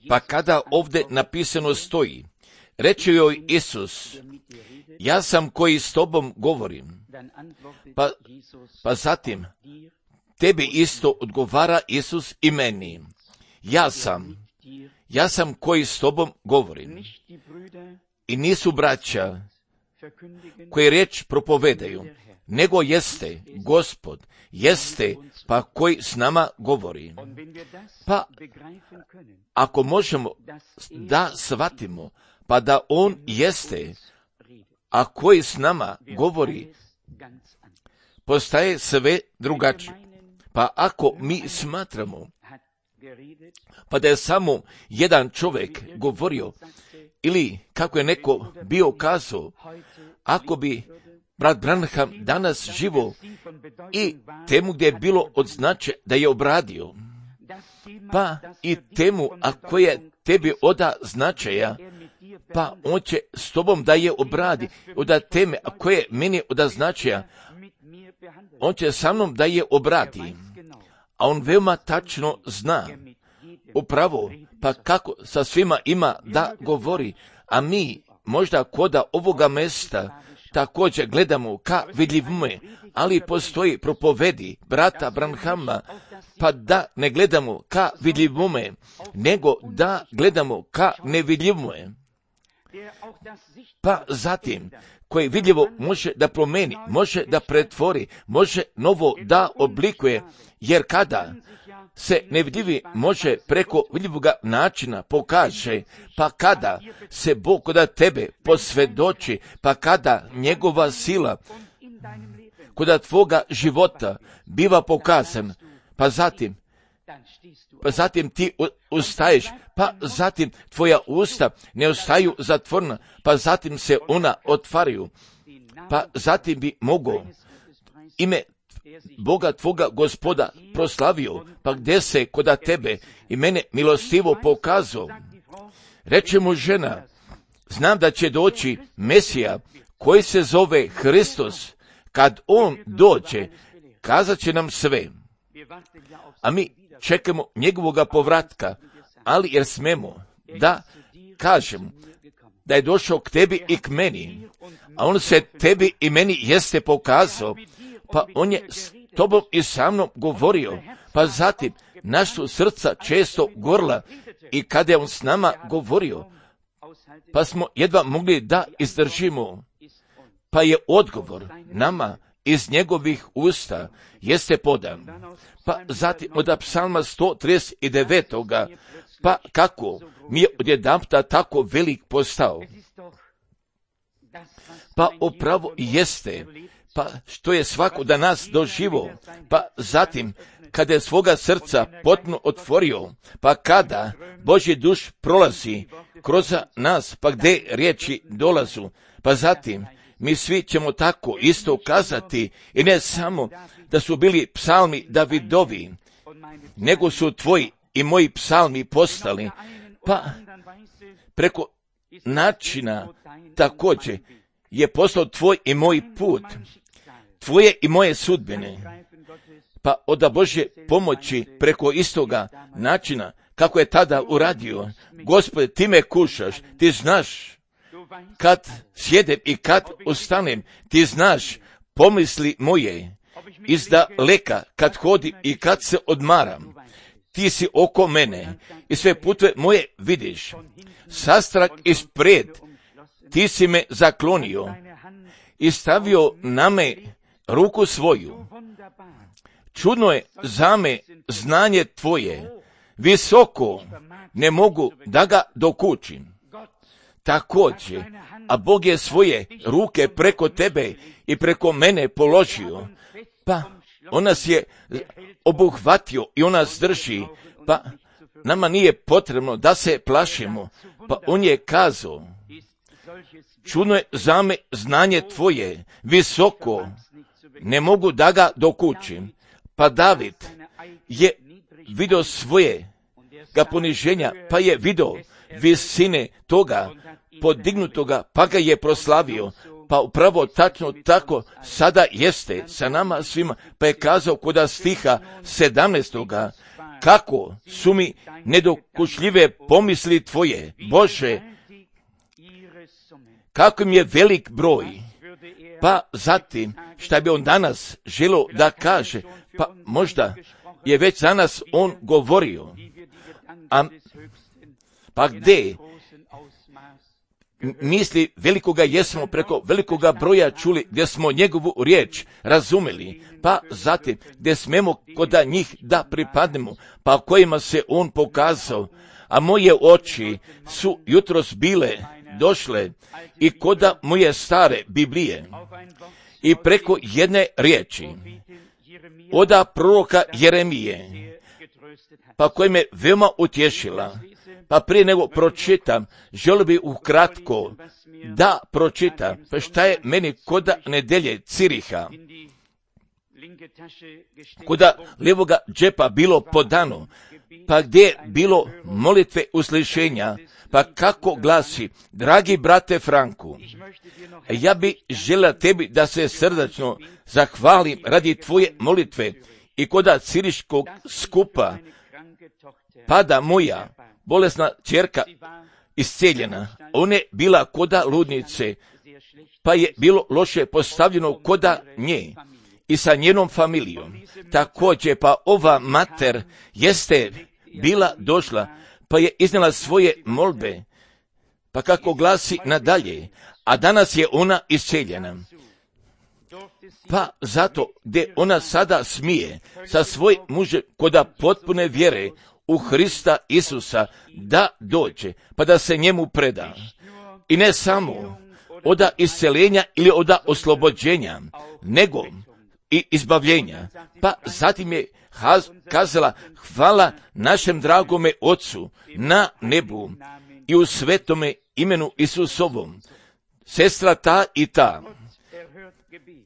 Pa kada ovdje napisano stoji, reče joj Isus, ja sam koji s tobom govorim. Pa zatim, tebi isto odgovara Isus i meni. Ja sam koji s tobom govorim. I nisu braća koji riječ propovedaju, nego jeste Gospod, jeste pa koji s nama govori. Pa ako možemo da shvatimo, pa da on jeste, a koji s nama govori, postaje sve drugačije. Pa ako mi smatramo, pa da je samo jedan čovjek govorio, ili kako je neko bio kazao, ako bi brat Branham danas živo i temu gdje je bilo od značaja da je obradio, pa i temu ako je tebi oda značaja, pa on će s tobom da je obradi, oda teme ako je meni oda značaja, on će sa mnom da je obradi, a on veoma tačno zna upravo, pa kako sa svima ima da govori, a mi možda koda ovoga mesta također gledamo ka vidljivome, ali postoji propovedi brata Branhama, pa da ne gledamo ka vidljivome, nego da gledamo ka nevidljivome. Pa zatim, koji vidljivo može da promeni, može da pretvori, može novo da oblikuje, jer kada se nevidljivi može preko vidljivoga načina pokaže, pa kada se Bog kod tebe posvjedoči, pa kada njegova sila kod tvoga života biva pokazan, pa zatim ti ustaješ, pa zatim tvoja usta ne ostaju zatvorena, pa zatim se ona otvaraju, pa zatim bi mogao ime Boga tvoga Gospoda proslavio, pa gdje se koda tebe i mene milostivo pokazao. Reče mu žena, znam da će doći Mesija koji se zove Hristos, kad on dođe, kazat će nam sve. A mi čekamo njegovoga povratka, ali jer smemo da kažemo da je došao k tebi i k meni, a on se tebi i meni jeste pokazao, pa on je s tobom i sa mnom govorio, pa zatim naša srca često gorla i kada je on s nama govorio, pa smo jedva mogli da izdržimo, pa je odgovor nama iz njegovih usta jeste podan. Pa zatim od psalma 139. Pa kako mi je odjedanputa tako velik postao? Pa upravo jeste, pa što je svako da nas doživo, pa zatim kada je svoga srca potpuno otvorio, pa kada Božji duš prolazi kroz nas, pa gdje riječi dolazu, pa zatim mi svi ćemo tako isto kazati, i ne samo da su bili psalmi Davidovi, nego su tvoji i moji psalmi postali, pa preko načina također je postao tvoj i moj put, tvoje i moje sudbine, pa od Božje pomoći preko istoga načina kako je tada uradio. Gospode, ti me kušaš, ti znaš kad sjedem i kad ustanem, ti znaš pomisli moje, izdaleka kad hodim i kad se odmaram, ti si oko mene i sve putve moje vidiš, sastrah ispred, ti si me zaklonio i stavio na me ruku svoju. Čudno je za me znanje tvoje, visoko, ne mogu da ga dokučim. Također, a Bog je svoje ruke preko tebe i preko mene položio, pa on nas je obuhvatio i on nas drži, pa nama nije potrebno da se plašimo, pa on je kazao, čudno je za me znanje tvoje, visoko, ne mogu da ga dokučim. Pa David je vidio svoje ga poniženja, pa je vidio visine toga podignutoga, pa ga je proslavio. Pa upravo tačno tako sada jeste sa nama svima, pa je kazao kod stiha 17. kako su mi nedokučljive pomisli tvoje, Bože, kako im je velik broj. Pa zatim, šta bi on danas želio da kaže, pa možda je već danas on govorio, pa gdje misli velikoga jesmo preko velikoga broja čuli, gdje smo njegovu riječ razumeli, pa zatim gdje smemo koda njih da pripadnemo, pa kojima se on pokazao, a moje oči su jutros bile došle i koda moje stare Biblije i preko jedne riječi oda proroka Jeremije, pa koja me veoma utješila. Pa prije nego pročitam, želio bi ukratko da pročitam, pa šta je meni koda nedelje Ciriha, koda lijevoga džepa bilo podano, pa gdje je bilo molitve uslišenja, pa kako glasi, dragi brate Franku, ja bi želio tebi da se srdačno zahvalim radi tvoje molitve i koda ciriškog skupa, pada moja bolesna ćerka isceljena. Ona je bila koda ludnice, pa je bilo loše postavljeno koda nje i sa njenom familijom. Također, pa ova mater jeste bila došla, pa je iznijela svoje molbe, pa kako glasi nadalje, a danas je ona isceljena. Pa zato gdje ona sada smije sa svojim mužem koda potpune vjere u Hrista Isusa da dođe, pa da se njemu preda. I ne samo oda isceljenja ili oda oslobođenja, nego i izbavljenja. Pa zatim je kazala, hvala našem dragome Otcu na nebu i u svetome imenu Isusovom, sestra ta i ta.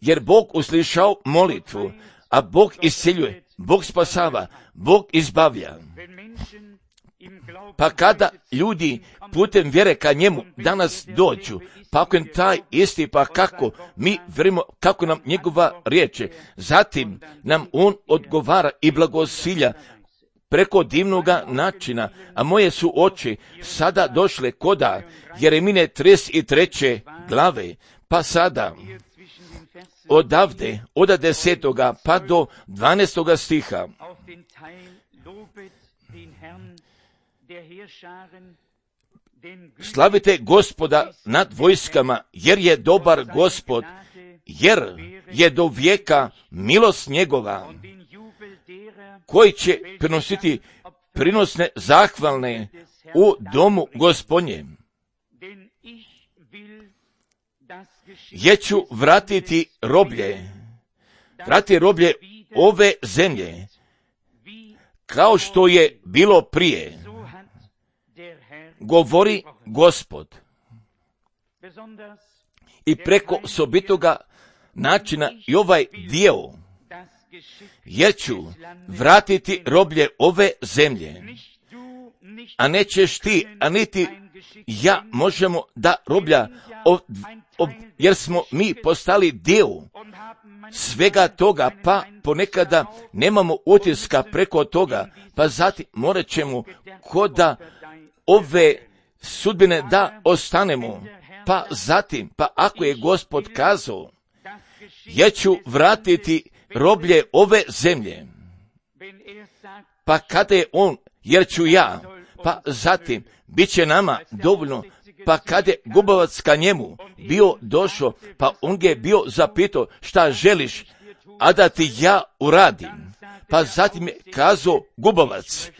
Jer Bog uslišao molitvu, a Bog isceljuje, Bog spasava, Bog izbavlja. Pa kada ljudi putem vjere ka njemu danas dođu, pa ako je taj isti, pa kako mi vjerujemo, kako nam njegova riječ, zatim nam on odgovara i blagosilja preko divnoga načina, a moje su oči sada došle koda Jeremine 33. glave, pa sada odavde, od 10. pa do 12. stiha. Slavite Gospoda nad vojskama, jer je dobar Gospod, jer je do vijeka milost njegova, koji će prinositi prinosne zahvalne u domu Gospodnjem. Jer ću vratiti roblje ove zemlje, kao što je bilo prije, govori Gospod. I preko sobitoga načina i ovaj dio, jer ću vratiti roblje ove zemlje, a nećeš ti, a niti ja možemo da roblja, jer smo mi postali dio svega toga, pa ponekada nemamo utiska preko toga, pa zatim morat ćemo koda ove sudbine da ostanemo, pa zatim, pa ako je Gospod kazao, ja ću vratiti roblje ove zemlje, pa kada je on, jer ću ja, pa zatim, bit će nama dovoljno, pa kada je gubavac ka njemu bio došao, pa on ga je bio zapitao šta želiš, a da ti ja uradim, pa zatim je kazao gubavac,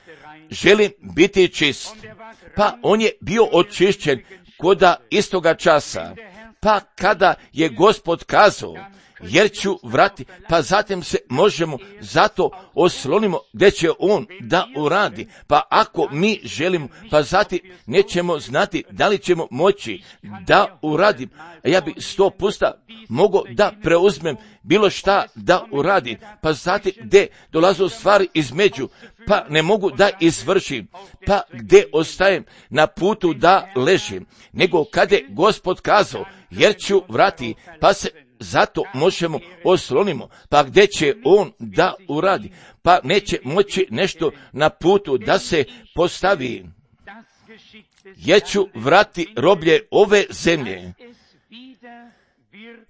želim biti čist, pa on je bio očišćen koda istoga časa, pa kada je Gospod kazao, jer ću vratiti, pa zatim se možemo zato oslonimo gdje će on da uradi, pa ako mi želimo, pa zatim nećemo znati da li ćemo moći da uradim, a ja bi 100% mogao da preuzmem bilo šta da uradi, pa zatim gdje dolaze stvari između, pa ne mogu da izvršim, pa gdje ostajem na putu da ležim, nego kad je Gospod kazao, jer ću vrati, pa se zato možemo oslonimo, pa gdje će on da uradi, pa neće moći nešto na putu da se postavi. Ja ću vrati roblje ove zemlje,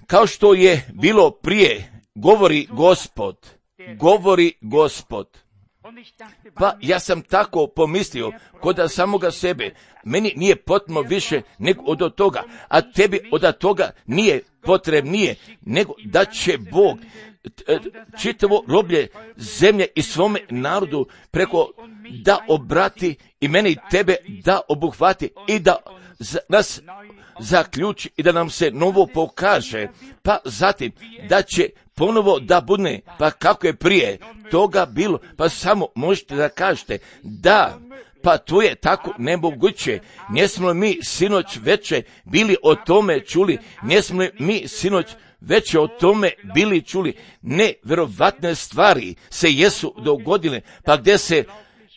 kao što je bilo prije, govori Gospod. Pa ja sam tako pomislio kod samoga sebe, meni nije potrebno više nego od toga, a tebi od toga nije potrebnije, nego da će Bog čitavo roblje zemlje i svome narodu preko da obrati i mene i tebe da obuhvati i da nas zaključi i da nam se novo pokaže, pa zatim da će ponovo da bude, pa kako je prije toga bilo, pa samo možete da kažete da, pa to je tako nemoguće. Nismo mi sinoć veče bili o tome čuli, nismo mi sinoć veće o tome bili čuli. Nevjerovatne stvari se jesu dogodile, pa gdje se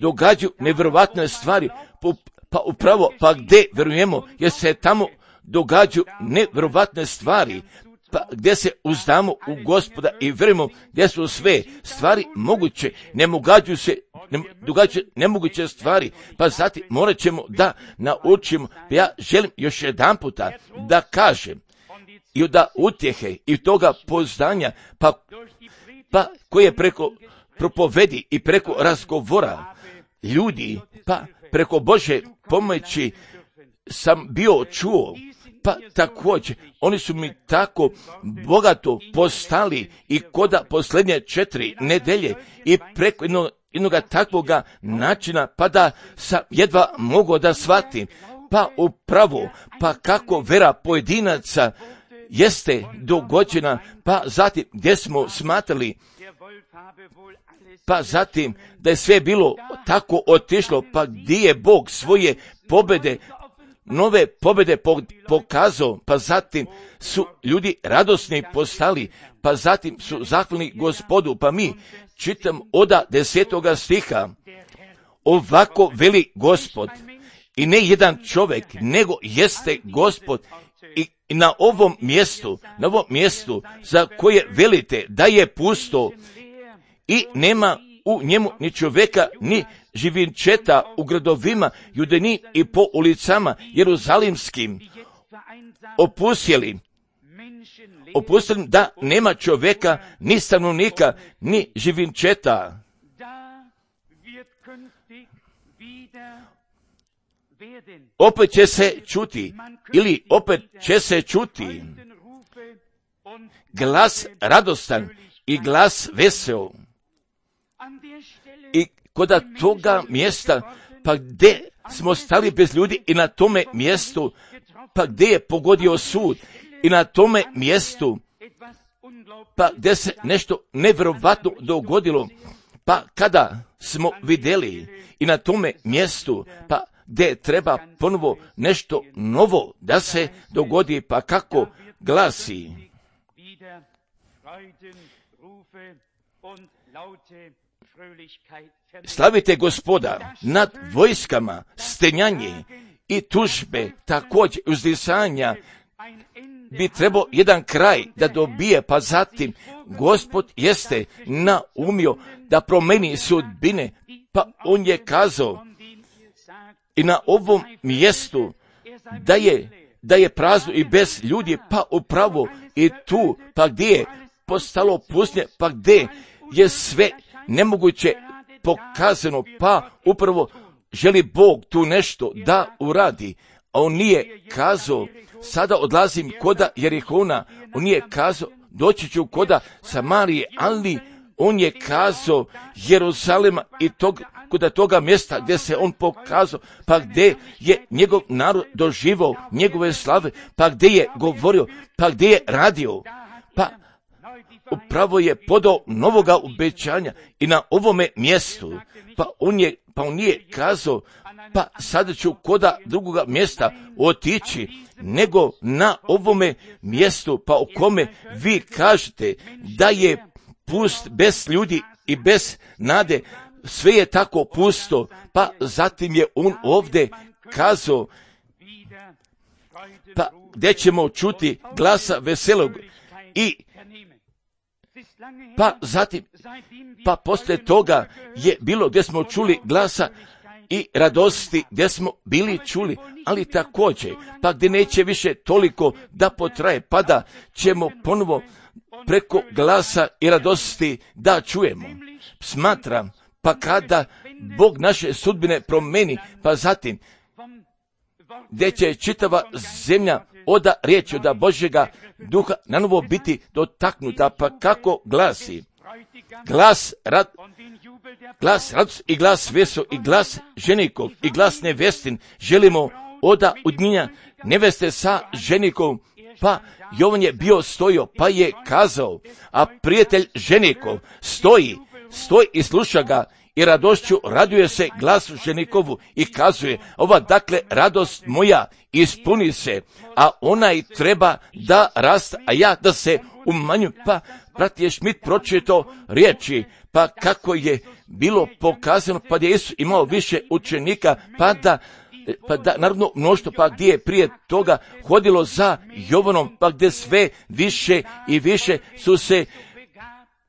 događaju nevjerovatne stvari, pa upravo, pa gdje vjerujemo, jer se tamo događaju nevjerovatne stvari, pa gdje se uzdamo u Gospoda i vjerujemo gdje su sve stvari moguće, događaju nemoguće stvari, pa zatim morat ćemo da naučimo. Ja želim još jedan puta da kažem i da utjehe i toga poznanja, pa koje preko propovedi i preko razgovora ljudi, pa preko Bože pomoći sam bio čuo, pa također oni su mi tako bogato postali i koda posljednje 4 nedelje i preko jednoga takvoga načina, pa da sam jedva mogao da shvatim, pa upravo, pa kako vera pojedinaca jeste dogođena, pa zatim gdje smo smatrali, pa zatim da je sve bilo tako otišlo, pa gdje je Bog svoje pobjede, nove pobjede pokazao, pa zatim su ljudi radosni postali, pa zatim su zahvalni Gospodu, pa mi čitam od 10. stiha, ovako veli Gospod, i ne jedan čovjek, nego jeste Gospod, i na ovom mjestu za koje velite da je pusto i nema u njemu ni čovjeka, ni živinčeta u gradovima, judeni i po ulicama jeruzalimskim, opustjelim da nema čovjeka, ni stanovnika, ni živinčeta. Opet će se čuti glas radostan i glas vesel. I kod toga mjesta, pa gdje smo stali bez ljudi i na tome mjestu, pa gdje je pogodio sud i na tome mjestu, pa gdje se nešto nevjerovatno dogodilo, pa kada smo vidjeli i na tome mjestu, pa gdje treba ponovo nešto novo da se dogodi, pa kako glasi. Slavite Gospoda nad vojskama, stenjanje i tužbe, također uzdisanja, bi trebao jedan kraj da dobije, pa zatim Gospod jeste naumio da promeni sudbine, pa on je kazao i na ovom mjestu da je prazno i bez ljudi, pa upravo i tu, pa gdje je postalo pustinje, pa gdje je sve nemoguće pokazano, pa upravo želi Bog tu nešto da uradi, a on nije kazao sada odlazim koda Jerihona, on nije kazao doći ću koda Samarije, ali on je kazao Jeruzalema i koda toga mjesta gdje se on pokazao, pa gdje je njegov narod doživao njegove slave, pa gdje je govorio, pa gdje je radio, pa upravo je podao novoga obećanja i na ovome mjestu, pa on nije kazao, pa sada ću koda drugoga mjesta otići, nego na ovome mjestu, pa o kome vi kažete da je pust bez ljudi i bez nade, sve je tako pusto, pa zatim je on ovdje kazao, pa gdje ćemo čuti glasa veselog i pa zatim, pa poslije toga je bilo gdje smo čuli glasa i radosti gdje smo bili čuli, ali također, pa gdje neće više toliko da potraje, pa da ćemo ponovo preko glasa i radosti da čujemo. Smatram, pa kada Bog naše sudbine promeni, pa zatim, gdje će čitava zemlja oda riječi od Božjega duha na novo biti dotaknuta, pa kako glasi, glas radost i glas veso i glas ženikov i glas nevestin, želimo oda udnjenja neveste sa ženikom, pa Jovan je bio stojio, pa je kazao, a prijatelj ženikov stoji i sluša ga i radošću raduje se glasu ženikovu i kazuje, ova dakle radost moja ispuni se, a onaj treba da raste, a ja da se umanju. Pa brat je Šmit pročitao riječi, pa kako je bilo pokazano, pa je Isus imao više učenika, pa da naravno mnoštvo, pa gdje je prije toga hodilo za Jovanom, pa gdje sve više i više su se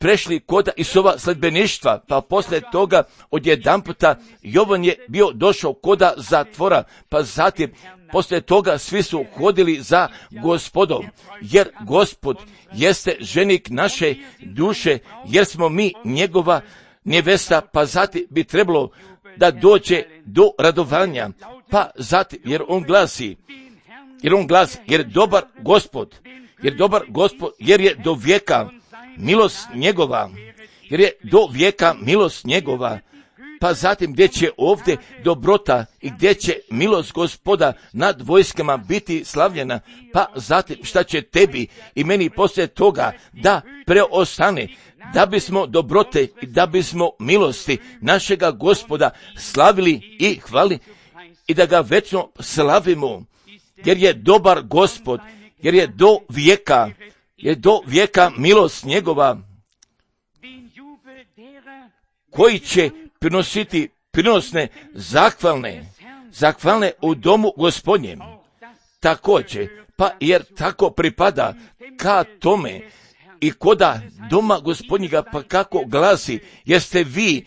prešli kod Isova sledbeništva, pa poslije toga odjedanputa Jovan je bio došao koda zatvora, pa zatim poslije toga svi su hodili za Gospodom, jer Gospod jeste ženik naše duše, jer smo mi njegova nevesta, pa zatim bi trebalo da dođe do radovanja, pa zatim, jer on glasi, jer dobar Gospod, jer je do vijeka milost njegova, pa zatim gdje će ovdje dobrota i gdje će milost Gospoda nad vojskama biti slavljena, pa zatim šta će tebi i meni poslije toga da preostane, da bismo dobrote i da bismo milosti našega Gospoda slavili i hvali i da ga večno slavimo, jer je dobar Gospod, jer je do vijeka milost njegova, koji će prinositi prinosne zahvalne u domu Gospodnjem. Također, pa jer tako pripada ka tome i koda doma Gospodnjega, pa kako glasi, jeste vi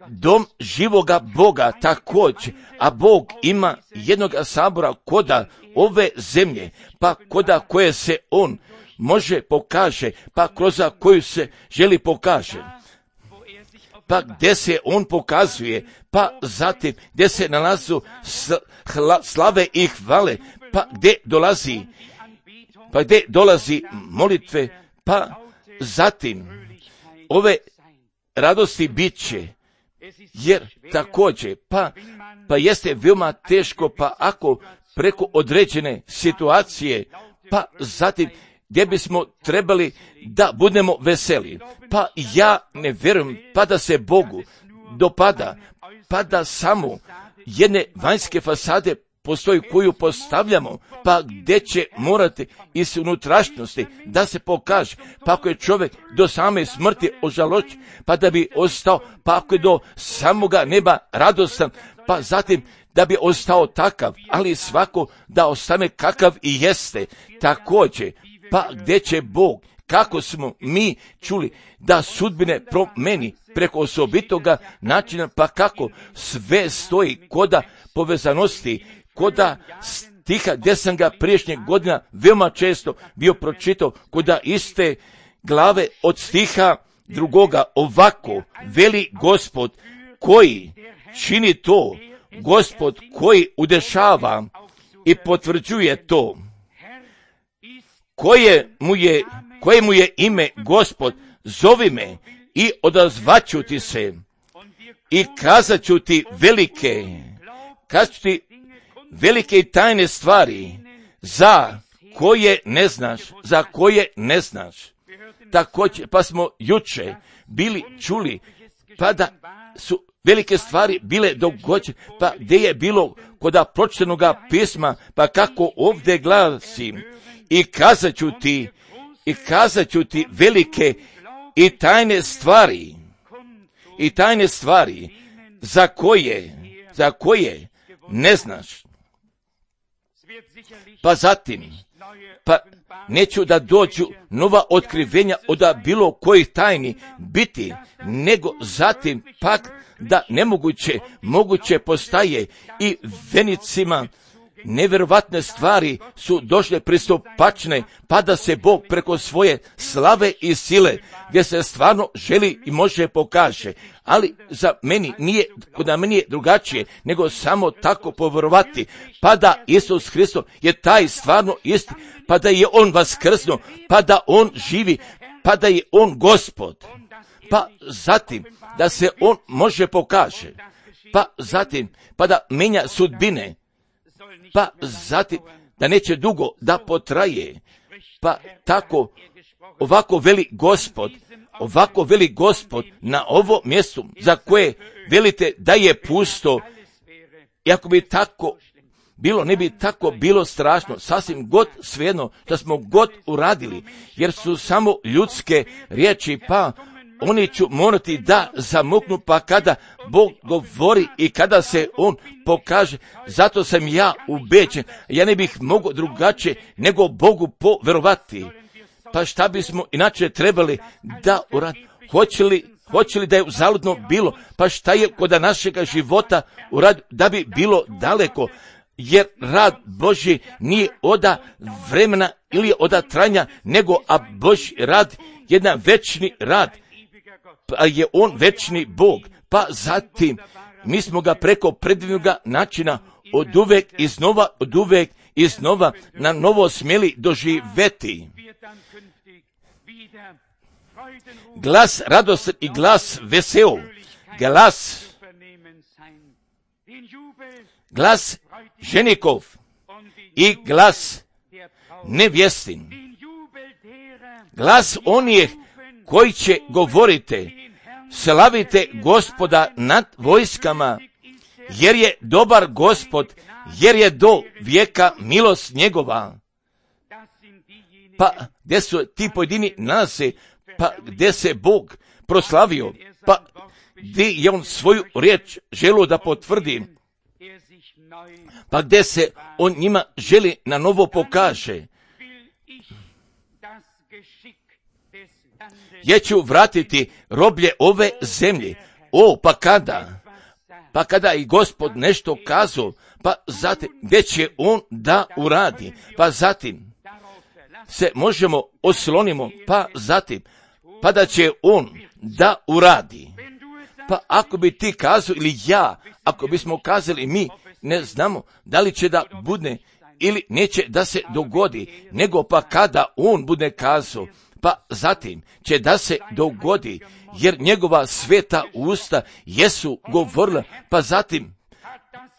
dom živoga Boga također, a Bog ima jednog sabora koda ove zemlje, pa koda koje se on može pokaže, pa kroz koju se želi pokaže, pa gdje se on pokazuje, pa zatim gdje se nalazu slave i hvale, pa gdje dolazi molitve, pa zatim ove radosti bit će, jer također, pa jeste veoma teško, pa ako preko određene situacije, pa zatim gdje bismo trebali da budemo veseli, pa ja ne vjerujem, pa da se Bogu dopada, pa da samo jedne vanjske fasade postoji koju postavljamo, pa gdje će morati iz unutrašnjosti da se pokaže, pa ako je čovjek do same smrti ožalošćen, pa da bi ostao, pa ako je do samoga neba radostan, pa zatim da bi ostao takav, ali svako da ostane kakav i jeste, također, pa gdje će Bog, kako smo mi čuli, da sudbine promeni preko osobitoga načina, pa kako sve stoji koda povezanosti, koda stiha gdje sam ga priješnjeg godina veoma često bio pročitao, koda iste glave od stiha drugoga, ovako veli Gospod koji čini to, Gospod koji udešava i potvrđuje to, koje mu je ime Gospod, zovi me i odazvaću ti se i kazat ću ti velike i tajne stvari za koje ne znaš. Također, pa smo juče bili čuli, pa da su velike stvari bile dogođene, pa gdje je bilo koda pročitanoga pisma, pa kako ovdje glasim, i kazat ću ti velike i tajne stvari za koje ne znaš. Pa zatim, pa neću da dođu nova otkrivenja od bilo kojih tajni biti, nego zatim pak da moguće postaje i venicima nevjerovatne stvari su došle pristupačne, pa da se Bog preko svoje slave i sile, gdje se stvarno želi i može pokaže. Ali za meni nije drugačije, nego samo tako povjerovati, pa da Isus Hristos je taj stvarno isti, pa da je On vaskrsnuo, pa da On živi, pa da je On Gospod, pa zatim da se On može pokaže, pa zatim pa da menja sudbine, pa zatim da neće dugo da potraje, pa tako ovako veli Gospod na ovo mjesto za koje velite da je pusto. I ako bi tako bilo, ne bi tako bilo strašno, sasvim god svejedno što smo god uradili, jer su samo ljudske riječi, pa oni ću morati da zamuknu, pa kada Bog govori i kada se On pokaže, zato sam ja ubeđen, ja ne bih mogao drugačije nego Bogu poverovati. Pa šta bismo inače trebali da uraditi? Hoće li da je uzaludno bilo? Pa šta je kod našega života uraditi da bi bilo daleko? Jer rad Božji nije oda vremena ili oda trajanja, nego a Božji rad jedan večni rad, pa je On večni Bog. Pa zatim mi smo ga preko predivnoga načina od uvek i znova na novo smjeli doživeti. Glas radostan i glas veseo, glas ženikov i glas nevjestin, glas onih koji će govorite, slavite Gospoda nad vojskama, jer je dobar Gospod, jer je do vijeka milost njegova. Pa gdje su ti pojedini nalaze, pa gdje se Bog proslavio, pa gdje je On svoju riječ želio da potvrdi, pa gdje se On njima želi na novo pokaže. Ja ću vratiti roblje ove zemlje. Pa kada i Gospod nešto kazao, pa zatim gdje će On da uradi, pa zatim se možemo oslonimo, pa zatim pa da će On da uradi. Pa ako bi ti kazao ili ja, ako bismo kazali mi, ne znamo da li će da bude ili neće da se dogodi, nego pa kada On bude kazao, pa zatim će da se dogodi, jer njegova sveta usta jesu govorila, pa zatim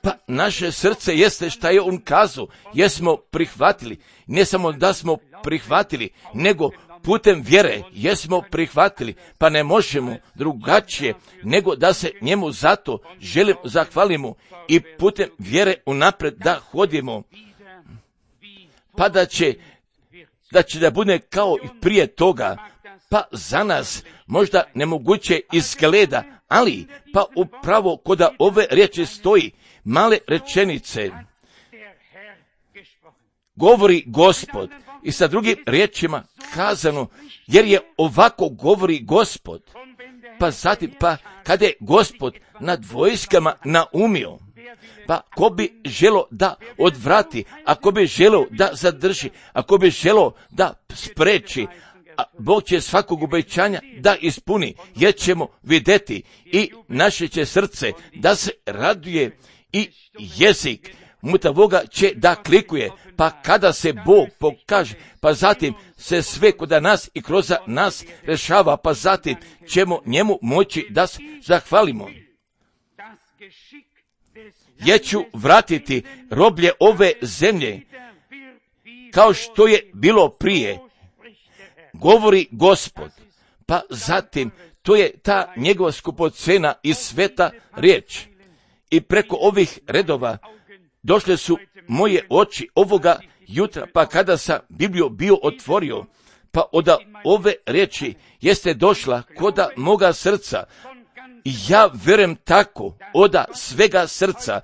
pa naše srce jeste šta je On kazao, jesmo prihvatili, ne samo da smo prihvatili, nego putem vjere jesmo prihvatili, pa ne možemo drugačije nego da se njemu zato zahvalimo i putem vjere unapred da hodimo, pa da će da bude kao i prije toga, pa za nas možda nemoguće izgleda, ali pa upravo kod ove riječi stoji male rečenice, govori Gospod, i sa drugim riječima kazano, jer je ovako govori Gospod. Pa zatim, pa kada je Gospod nad vojskama naumio, pa ko bi želo da odvrati, ako bi želo da zadrži, ako bi želo da spreči, a Bog će svakog obećanja da ispuni, jer ćemo vidjeti i naše će srce da se raduje i jezik mutavoga će da klikuje, pa kada se Bog pokaže, pa zatim se sve kod nas i kroz nas rešava, pa zatim ćemo njemu moći da se zahvalimo. Ja ću vratiti roblje ove zemlje, kao što je bilo prije, govori Gospod. Pa zatim, to je ta njegova skupocena i sveta riječ. I preko ovih redova došle su moje oči ovoga jutra, pa kada sam Bibliju bio otvorio, pa od ove riječi jeste došla koda moga srca. I ja vjerujem tako, od svega srca,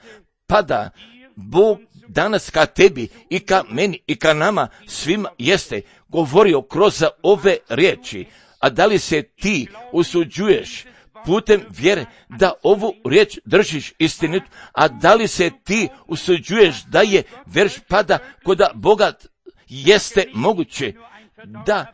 pa da Bog danas ka tebi i ka meni i ka nama svima jeste govorio kroz ove riječi. A da li se ti usuđuješ putem vjere da ovu riječ držiš istinitu, a da li se ti usuđuješ da je verš pada kod Boga jeste moguće da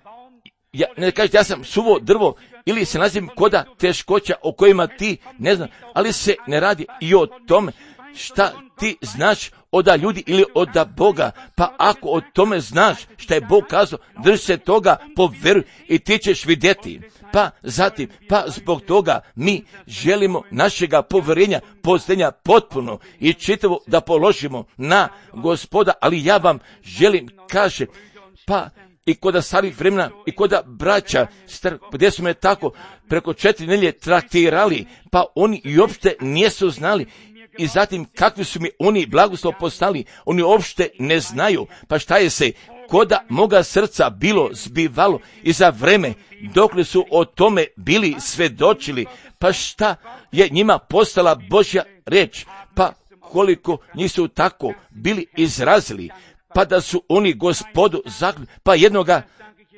ne kažeš ja sam suvo drvo ili se nazivim koda teškoća o kojima ti ne znaš, ali se ne radi i o tome šta ti znaš od ljudi ili od Boga. Pa ako o tome znaš šta je Bog kazao, drži se toga, povjeruj i ti ćeš vidjeti. Pa zatim, zbog toga mi želimo našega povjerenja, posljednja potpuno i čitavo da položimo na Gospoda, ali ja vam želim, kaže, i kod starih vremena, i kod braća, gdje su me tako preko 4 nedjelje traktirali, pa oni i uopšte nisu znali. I zatim kakvi su mi oni blagoslov postali, oni uopšte ne znaju. Pa šta je se koda moga srca bilo zbivalo i za vreme dokle su o tome bili svedočili, pa šta je njima postala Božja riječ, pa koliko njih su tako bili izrazili, pa da su oni Gospodu zakljeli, pa jednoga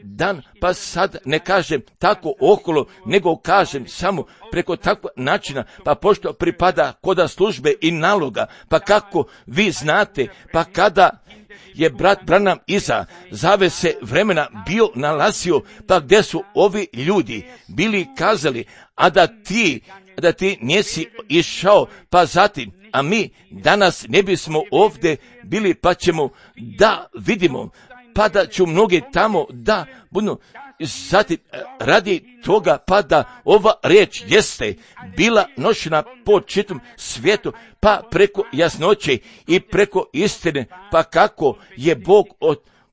dan, pa sad ne kažem tako okolo, nego kažem samo preko takvog načina, pa pošto pripada koda službe i naloga, pa kako vi znate, pa kada je brat Branham iza zavese vremena bio nalazio, pa gdje su ovi ljudi bili kazali, a da ti nisi išao, pa zatim, a mi danas ne bismo ovdje bili, pa ćemo da vidimo, pa da ću mnogi tamo da budu, zatim radi toga, pa da ova riječ jeste bila nošena po čitom svijetu, pa preko jasnoće i preko istine, pa kako je Bog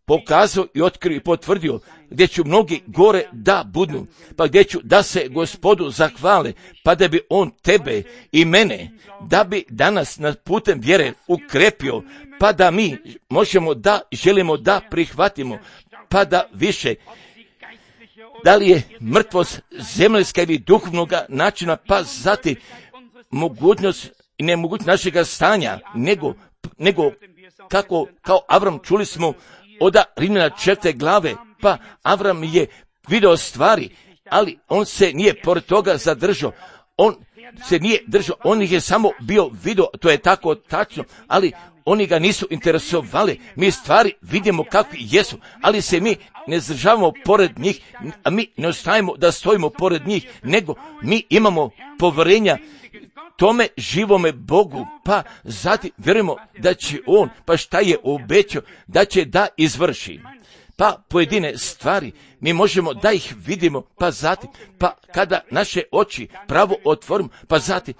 pokazao i otkrio i potvrdio, gdje ću mnogi gore da budu, pa gdje ću da se Gospodu zahvale, pa da bi on tebe i mene, da bi danas na putem vjere ukrepio, pa da mi možemo da želimo da prihvatimo, pa da više, da li je mrtvost zemaljska ili duhovnoga načina, pa zatim mogućnost i nemogućnost našega stanja, nego kako kao Avram čuli smo od Rimljana 4. glave, pa Avram je video stvari, ali on se nije pored toga zadržao, on se nije držao, on ih je samo bio video, to je tako tačno, ali oni ga nisu interesovali. Mi stvari vidimo kakvi jesu, ali se mi ne zdržavamo pored njih, a mi ne ostajemo da stojimo pored njih, nego mi imamo povjerenja tome živome Bogu, pa zatim vjerujemo da će on, pa šta je obećao, da će da izvrši. Pa pojedine stvari mi možemo da ih vidimo, pa zatim, pa kada naše oči pravo otvorimo, pa zatim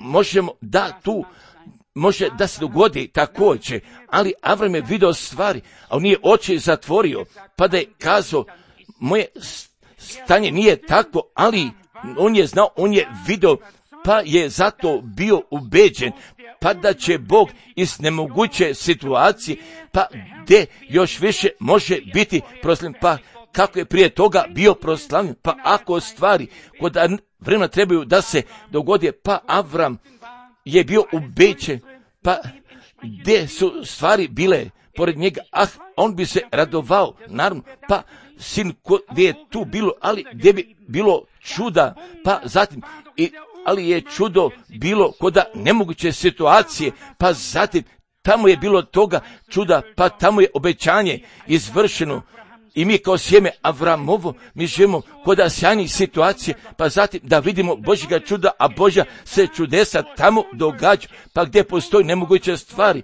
možemo da tu može da se dogodi također, ali Avram je video stvari, a on nije oči zatvorio, pa da je kazao, moje stanje nije tako, ali on je znao, on je video, pa je zato bio ubeđen, pa da će Bog iz nemoguće situacije, pa gdje još više može biti proslavljen, pa kako je prije toga bio proslavljen, pa ako stvari kod vremena trebaju da se dogodi, pa Avram je bio ubeđen, pa gdje su stvari bile pored njega, on bi se radovao, naravno, pa sin gdje je tu bilo, ali gdje bi bilo čuda, pa zatim, ali je čudo bilo kod nemoguće situacije, pa zatim tamo je bilo toga čuda, pa tamo je obećanje izvršeno. I mi kao sjeme Avramovo, mi živimo kod sjajnih situacije, pa zatim da vidimo Božjega čuda, a Božja se čudesa tamo događa, pa gdje postoji nemoguće stvari,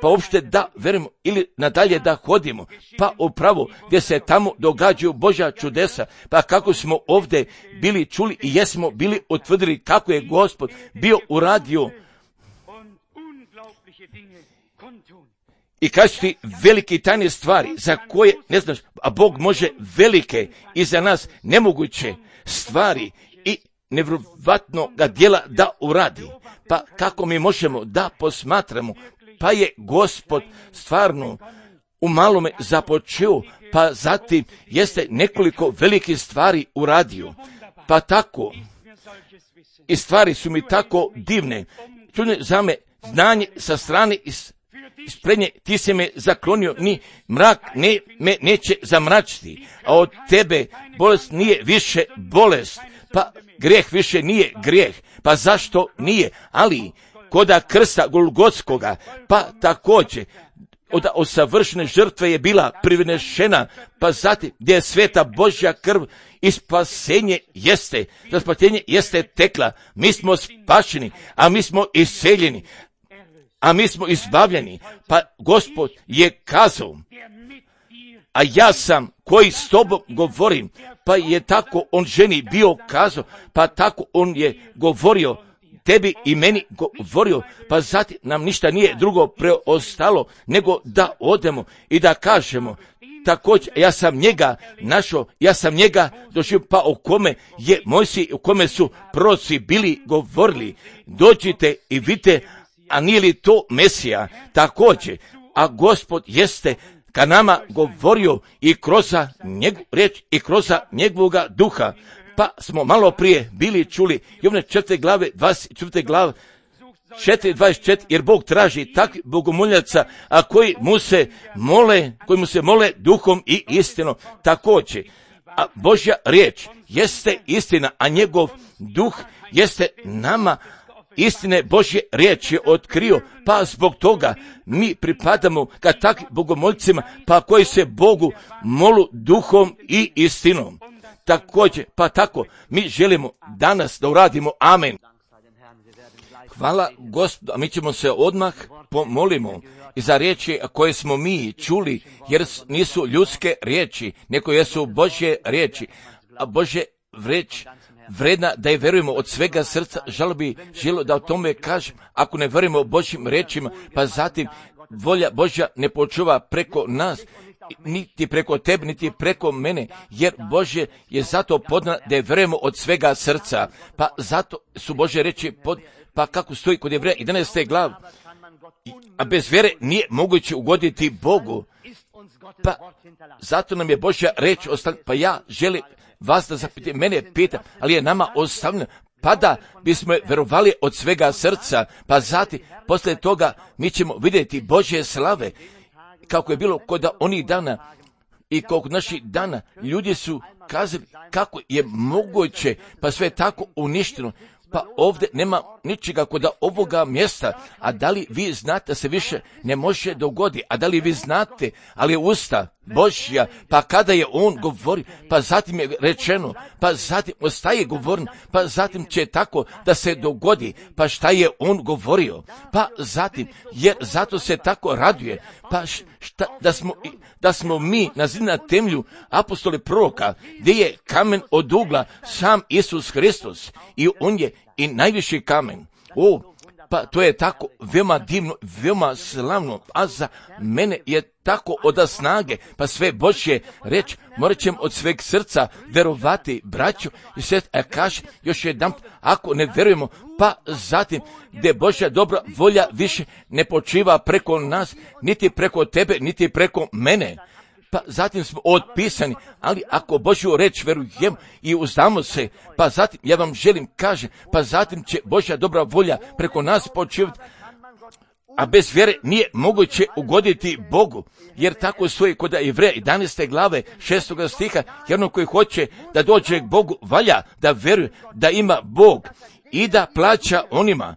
pa uopšte da verujemo ili nadalje da hodimo, pa upravo gdje se tamo događaju Božja čudesa, pa kako smo ovdje bili čuli i jesmo bili utvrdili kako je Gospod bio uradio. I kažu ti velike i tajne stvari za koje ne znaš, a Bog može velike i za nas nemoguće stvari i nevjerovatno ga djela da uradi. Pa kako mi možemo da posmatramo, pa je Gospod stvarno u malome započeo, pa zatim jeste nekoliko velikih stvari uradio. Pa tako, i stvari su mi tako divne, čudne za me, znanje sa strane isprednje, ti si me zaklonio, ni mrak me neće zamračiti, a od tebe bolest nije više bolest, pa grijeh više nije grijeh, pa zašto nije, ali koda krsta Golgotskoga, pa također od savršene žrtve je bila privinešena, pa zatim gdje je sveta Božja krv i spasenje jeste tekla, mi smo spašeni, a mi smo iseljeni, a mi smo izbavljeni, pa Gospod je kazao, a ja sam koji s tobom govorim, pa je tako on ženi bio kazao, pa tako on je govorio tebi i meni govorio, pa zatim nam ništa nije drugo preostalo nego da odemo i da kažemo, također ja sam njega našao, ja sam njega doživio, pa o kome je Mojsij, o kome su proroci bili govorili, dođite i vidite, a nije li to Mesija također, a Gospod jeste ka nama govorio i kroz njegovu riječ i kroz njegovoga duha. Pa smo malo prije bili čuli Jovane 4. glave, 24. glave, 4.24, jer Bog traži takvih bogomoljaca, a koji mu se mole duhom i istinom također. A Božja riječ jeste istina, a njegov duh jeste nama istine Božje riječi otkrio, pa zbog toga mi pripadamo ka takvim bogomoljcima, pa koji se Bogu molu duhom i istinom. Također, pa tako, mi želimo danas da uradimo amen. Hvala Gospodu, a mi ćemo se odmah pomolimo i za riječi koje smo mi čuli, jer nisu ljudske riječi, nego jesu Božje riječi, a Božje riječ vredna da je verujemo od svega srca. Želio da o tome kažem, ako ne verujemo o Božjim riječima, pa zatim volja Božja ne počuva preko nas, niti preko tebe, niti preko mene, jer Božje je zato podna da je verujemo od svega srca, pa zato su Božje riječi pa kako stoji kod Jevreja 11. glav, a bez vjere nije moguće ugoditi Bogu, pa zato nam je Božja riječ ostavljena, pa ja želim vas da zapite, mene pita, ali je nama ostavljeno, pa da bismo verovali od svega srca, pa zatim, poslije toga mi ćemo vidjeti Božje slave, kako je bilo kod onih dana i kod naših dana, ljudi su kazali kako je moguće, pa sve je tako uništeno, pa ovdje nema ničega kod ovoga mjesta, a da li vi znate da se više ne može dogoditi, a da li vi znate, ali je usta Božja, pa kada je on govori, pa zatim je rečeno, pa zatim ostaje govoren, pa zatim će tako da se dogodi, pa šta je on govorio, pa zatim, jer zato se tako raduje, pa da smo mi na temelju apostoli proroka, gdje je kamen od ugla sam Isus Hristos i on je i najviši kamen. Pa to je tako veoma divno, veoma slavno, a za mene je tako od snage, pa sve Božje reći, morat ćemo od sveg srca verovati, braću i sestre, a kaže još jedan, ako ne verujemo, pa zatim gdje Božja dobra volja više ne počiva preko nas, niti preko tebe, niti preko mene. Pa zatim smo otpisani, ali ako Božju reč verujemo i uzdamo se, pa zatim, ja vam želim kaže, pa zatim će Božja dobra volja preko nas počivati, a bez vjere nije moguće ugoditi Bogu, jer tako stoji kod Jevreja 11. glave 6. stiha, jer ono koji hoće da dođe k Bogu valja da veruje da ima Bog i da plaća onima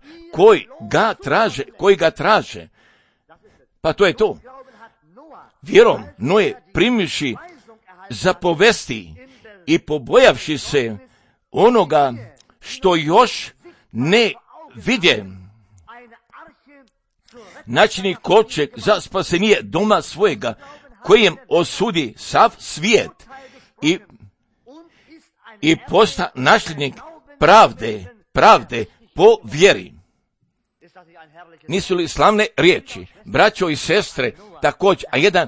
koji ga traže. Pa to je to. Vjerom Noe primivši zapovesti i pobojavši se onoga što još ne vidje, načini kovčeg za spasenije doma svojega, kojem osudi sav svijet i posta nasljednik pravde po vjeri. Nisu li slavne riječi, braćo i sestre, također, a jedan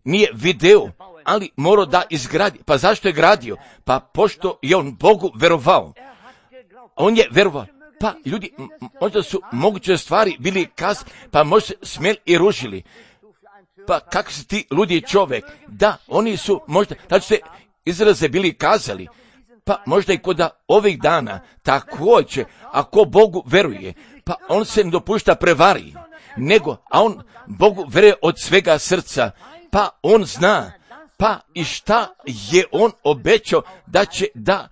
nije video, ali morao da izgradi. Pa zašto je gradio? Pa pošto je on Bogu verovao. On je verovao. Pa ljudi, možda su moguće stvari bili pa možda se smjeli i ružili. Pa kako si ti ludi čovjek? Da, oni su možda, znači se izraze bili kazali. Pa možda i kod ovih dana, također, ako Bogu veruje, pa on se ne dopušta prevari, nego, a on Bogu veruje od svega srca, pa on zna, pa i šta je on obećao da će da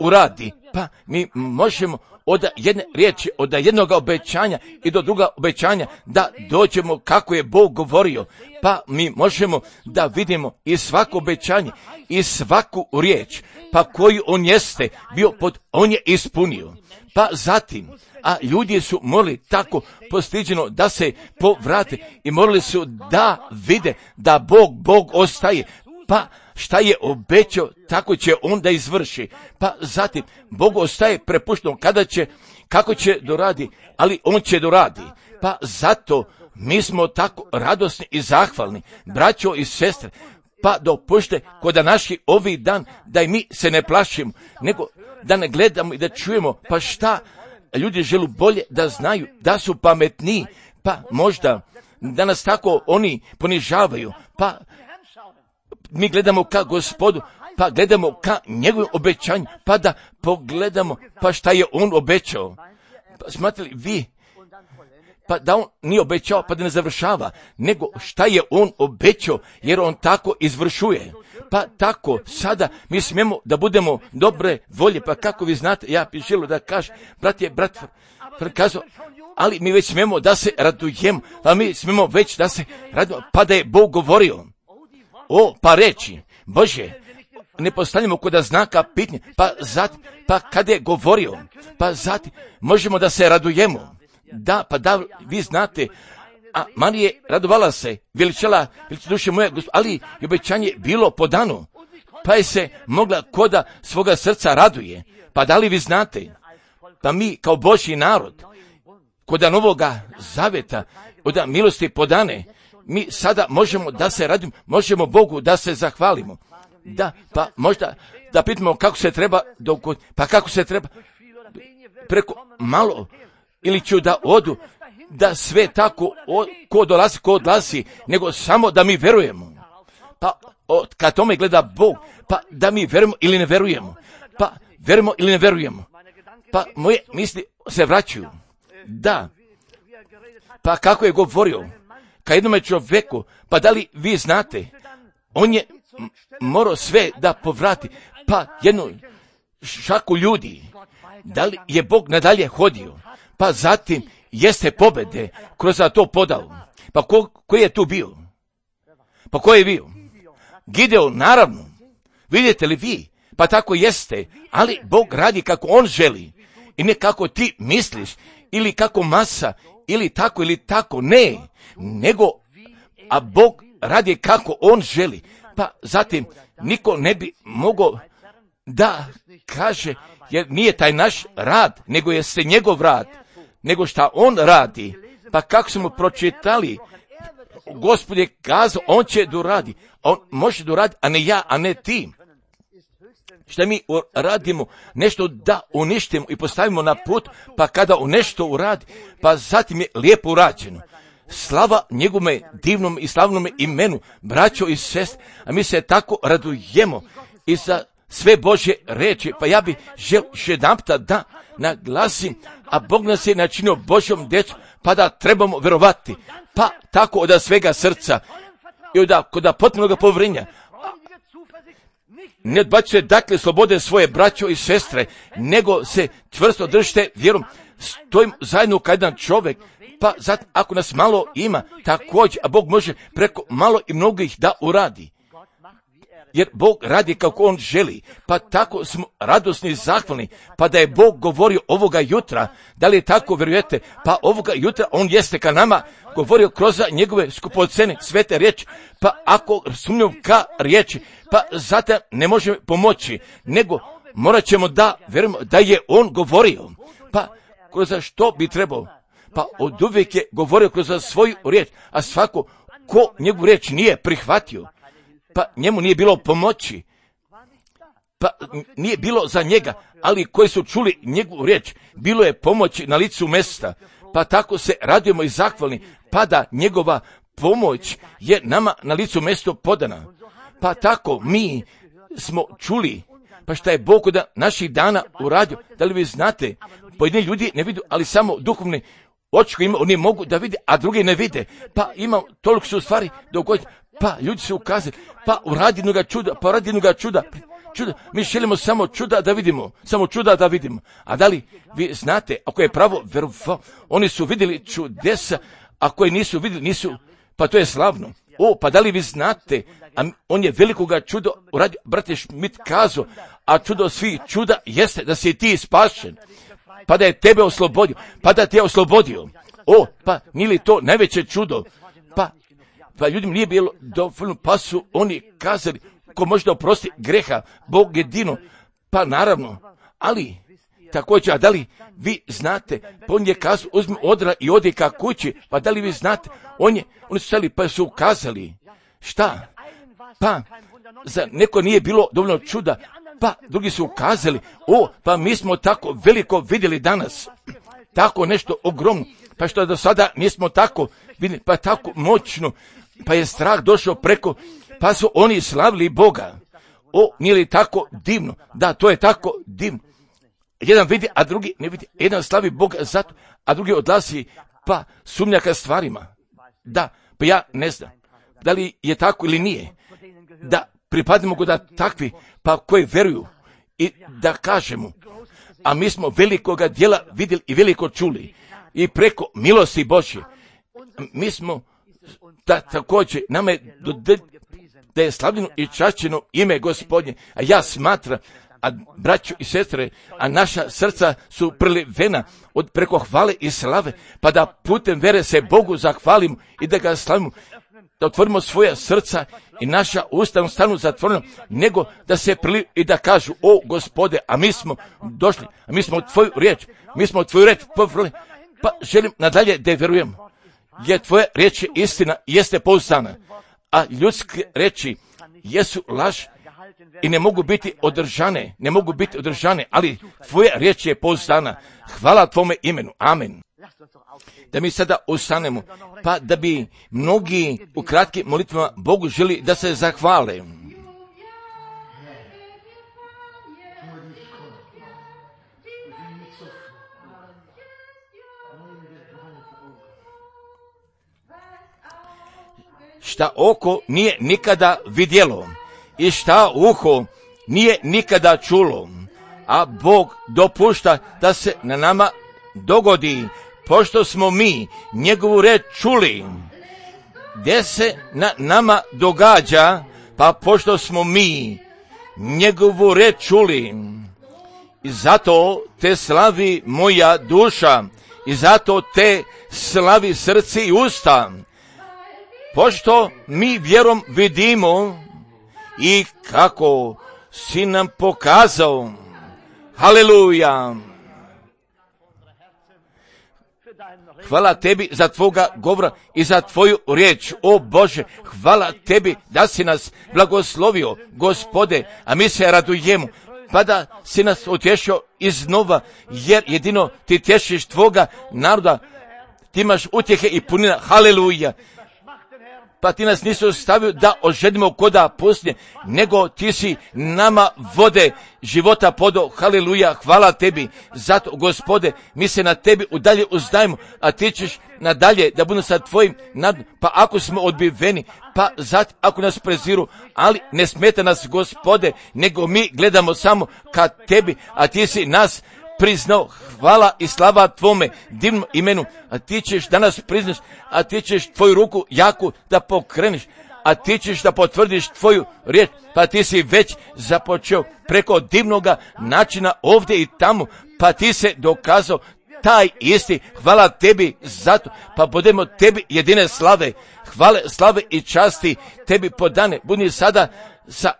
uradi. Pa mi možemo od jedne riječi, od jednog obećanja i do druga obećanja da dođemo kako je Bog govorio. Pa mi možemo da vidimo i svako obećanje i svaku riječ, pa koju on jeste bio on je ispunio. Pa zatim, a ljudi su morali tako postiđeno da se povrate i morali su da vide da Bog ostaje. Pa šta je obećao, tako će on da izvrši. Pa zatim, Bog ostaje prepušteno kako će doradi, ali on će doradi. Pa zato mi smo tako radosni i zahvalni, braćo i sestre, pa dopušte kod naši ovi dan da i mi se ne plašimo, nego da ne gledamo i da čujemo, pa šta ljudi žele bolje da znaju, da su pametniji, pa možda da nas tako oni ponižavaju, pa mi gledamo ka Gospodu, pa gledamo ka njegovim obećanju, pa da pogledamo, pa šta je on obećao. Pa smatrali vi, pa da on nije obećao, pa da ne završava, nego šta je on obećao, jer on tako izvršuje. Pa tako, sada mi smijemo da budemo dobre volje, pa kako vi znate, ja bih želio da kažem, brat kazao, ali mi već smijemo da se radujemo, pa mi smijemo već da se radujemo, pa da je Bog govorio. Pa reći, Bože, ne postavljamo kod znaka pitanja, pa kada je govorio, pa zatim možemo da se radujemo. Da, pa da, vi znate, a Marije radovala se, veličala duše moje, ali i obećanje bilo podano, pa je se mogla koda svoga srca raduje. Pa da li vi znate, pa mi kao Božji narod, koda Novoga Zaveta, od milosti podane, mi sada možemo da se radimo, možemo Bogu da se zahvalimo. Da, pa možda da pitamo kako se treba, pa kako se treba, preko malo, ili ću da odu, da sve tako, ko odlazi, nego samo da mi verujemo. Pa kad tome gleda Bog, pa da mi verujemo ili ne verujemo. Pa verujemo ili ne verujemo. Pa moje misli se vraćaju. Da, pa kako je govorio ka jednome čovjeku, pa da li vi znate, on je morao sve da povrati, pa jednu šaku ljudi, da li je Bog nadalje hodio, pa zatim jeste pobede kroz to podao. Pa ko je tu bio? Pa ko je bio? Gideon, naravno. Vidite li vi? Pa tako jeste, ali Bog radi kako on želi i ne kako ti misliš ili kako masa ili tako, ne, nego a Bog radi kako on želi. Pa zatim niko ne bi mogao da kaže, jer nije taj naš rad, nego jeste njegov rad, nego šta on radi. Pa kako smo pročitali, Gospod je kazao, on će doradi, on može doradi, a ne ja, a ne ti. Šta mi radimo, nešto da uništimo i postavimo na put, pa kada on nešto uradi, pa zatim je lijepo urađeno. Slava njegovome divnom i slavnome imenu, braćo i sestre, a mi se tako radujemo i za sve Božje reči, pa ja bih želio jedanputa da naglasim, a Bog nas je načinio Božjom djecom, pa da trebamo verovati, pa tako od svega srca i od potpunog povjerenja. Ne odbacuje dakle slobode svoje braćo i sestre, nego se čvrsto držite vjerom, stojim zajedno kao jedan čovjek, pa zato ako nas malo ima, također, a Bog može preko malo i mnogih da uradi. Jer Bog radi kako on želi, pa tako smo radosni i zahvalni, pa da je Bog govorio ovoga jutra, da li je tako vjerujete, pa ovoga jutra on jeste ka nama govorio kroz njegove skupocene svete riječi, pa ako sumnjam ka riječi, pa zato ne možemo pomoći, nego morat ćemo da vjerujemo da je on govorio, pa kroz što bi trebao, pa od uvijek je govorio kroz svoju riječ, a svako ko njegovu riječ nije prihvatio, pa njemu nije bilo pomoći, pa nije bilo za njega, ali koji su čuli njegovu riječ, bilo je pomoći na licu mjesta, pa tako se radujemo i zahvalni, pa da njegova pomoć je nama na licu mjesto podana. Pa tako mi smo čuli, Pa šta je Bog da naših dana uradio? Da li vi znate? Pojedini ljudi ne vidu, ali samo duhovni oči koji ima, oni mogu da vide, a drugi ne vide. Pa ima, toliko su stvari dogoditi. Pa ljudi su ukazali, pa uradi jednoga čuda, čuda. Mi želimo samo čuda da vidimo, A da li vi znate, ako je pravo verovao, oni su vidjeli čudesa, a koji nisu vidjeli, nisu, pa to je slavno. Pa da li vi znate, a on je velikoga čudo uradio, brate Šmit kazao, a čudo svih čuda jeste da si ti spašen, pa da je tebe oslobodio, pa da te je oslobodio. Pa nije li to najveće čudo? Pa ljudima nije bilo dovoljno, pa su oni kazali, ko može da oprosti greha, Bog jedino, pa naravno, ali također, a da li vi znate, pa on je kazao, uzmi odra i odi ka kući, pa da li vi znate, oni su stali pa su ukazali, šta? Pa, za neko nije bilo dovoljno čuda, pa drugi su ukazali, pa mi smo tako veliko vidjeli danas, tako nešto ogromno, pa što do sada nismo tako vidjeli, pa tako moćno, pa je strah došao preko, pa su oni slavili Boga. Nije li tako divno? Da, to je tako divno. Jedan vidi, a drugi ne vidi. Jedan slavi Boga zato, a drugi odlazi, pa sumnja ka stvarima. Da, pa ja ne znam, da li je tako ili nije. Da pripadimo go da takvi, pa koji veruju i da kažemo, a mi smo velikoga djela vidjeli i veliko čuli i preko milosti Božje. Mi smo da također nama je da je slavljeno i čašćeno ime Gospodnje, a ja smatram, a braćo i sestre, a naša srca su prelivena od preko hvale i slave, pa da putem vere se Bogu zahvalimo i da ga slavimo, da otvorimo svoja srca i naša usta stanu zatvorena, nego da se priliv i da kažu, Gospode, a mi smo došli, a mi smo tvoju riječ povrli, pa želim nadalje da vjerujem, jer tvoja riječ je istina, jeste pouzdana, a ljudske riječi jesu laž i ne mogu biti održane, ali tvoja riječ je pouzdana. Hvala tvome imenu. Amen. Da mi sada ustanemo, pa da bi mnogi u kratkim molitvama Bogu želi da se zahvale. Šta oko nije nikada vidjelo i šta uho nije nikada čulo, a Bog dopušta da se na nama dogodi, pošto smo mi njegovu reč čuli. Gdje se na nama događa, pa pošto smo mi njegovu reč čuli. I zato te slavi moja duša, i zato te slavi srce i usta, pošto mi vjerom vidimo i kako si nam pokazao. Haleluja! Hvala tebi za tvoga govora i za tvoju riječ, o Bože, hvala tebi da si nas blagoslovio, Gospode, a mi se radujemo, pa da si nas utješio iznova, jer jedino ti tješiš tvoga naroda, ti imaš utjehe i punina, haleluja. Pa ti nas nisi ostavio da ožedimo koda pustinje, nego ti si nama vode života podo, haleluja, hvala tebi. Zato, Gospode, mi se na tebi udalje uzdajemo, a ti ćeš nadalje da budemo sa tvojim nadom. Pa ako smo odbiveni, pa zatim ako nas preziru, ali ne smeta nas, Gospode, nego mi gledamo samo ka tebi, a ti si nas priznao, hvala i slava tvome divnom imenu, a ti ćeš danas priznaš, a ti ćeš tvoju ruku jaku da pokreniš, a ti ćeš da potvrdiš tvoju riječ, pa ti si već započeo preko divnoga načina ovdje i tamo, pa ti se dokazao taj isti, hvala tebi zato, pa budemo tebi jedine slave, hvale, slave i časti tebi podane, budi sada sa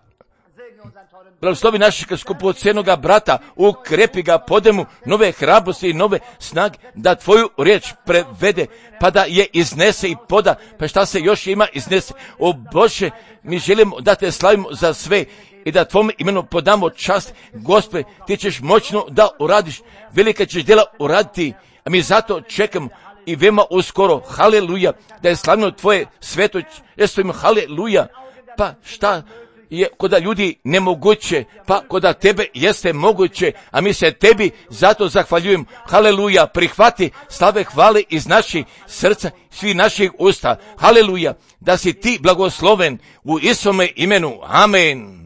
blagoslovi našeg skupocjenoga brata, ukrepi ga, podemu nove hrabrosti i nove snage, da tvoju riječ prevede, pa da je iznese i poda, pa šta se još ima iznese. O Bože, mi želimo da te slavimo za sve i da tvome imenu podamo čast. Gospode, ti ćeš moćno da uradiš, velika ćeš djela uraditi, a mi zato čekamo i veoma uskoro, haleluja, da je slavno tvoje sveto, jesu im haleluja, pa šta je koda ljudi nemoguće, pa koda tebe jeste moguće, a mi se tebi zato zahvaljujem. Haleluja, prihvati slave hvale iz naših srca, svih naših usta. Haleluja, da si ti blagosloven u Isome imenu. Amen.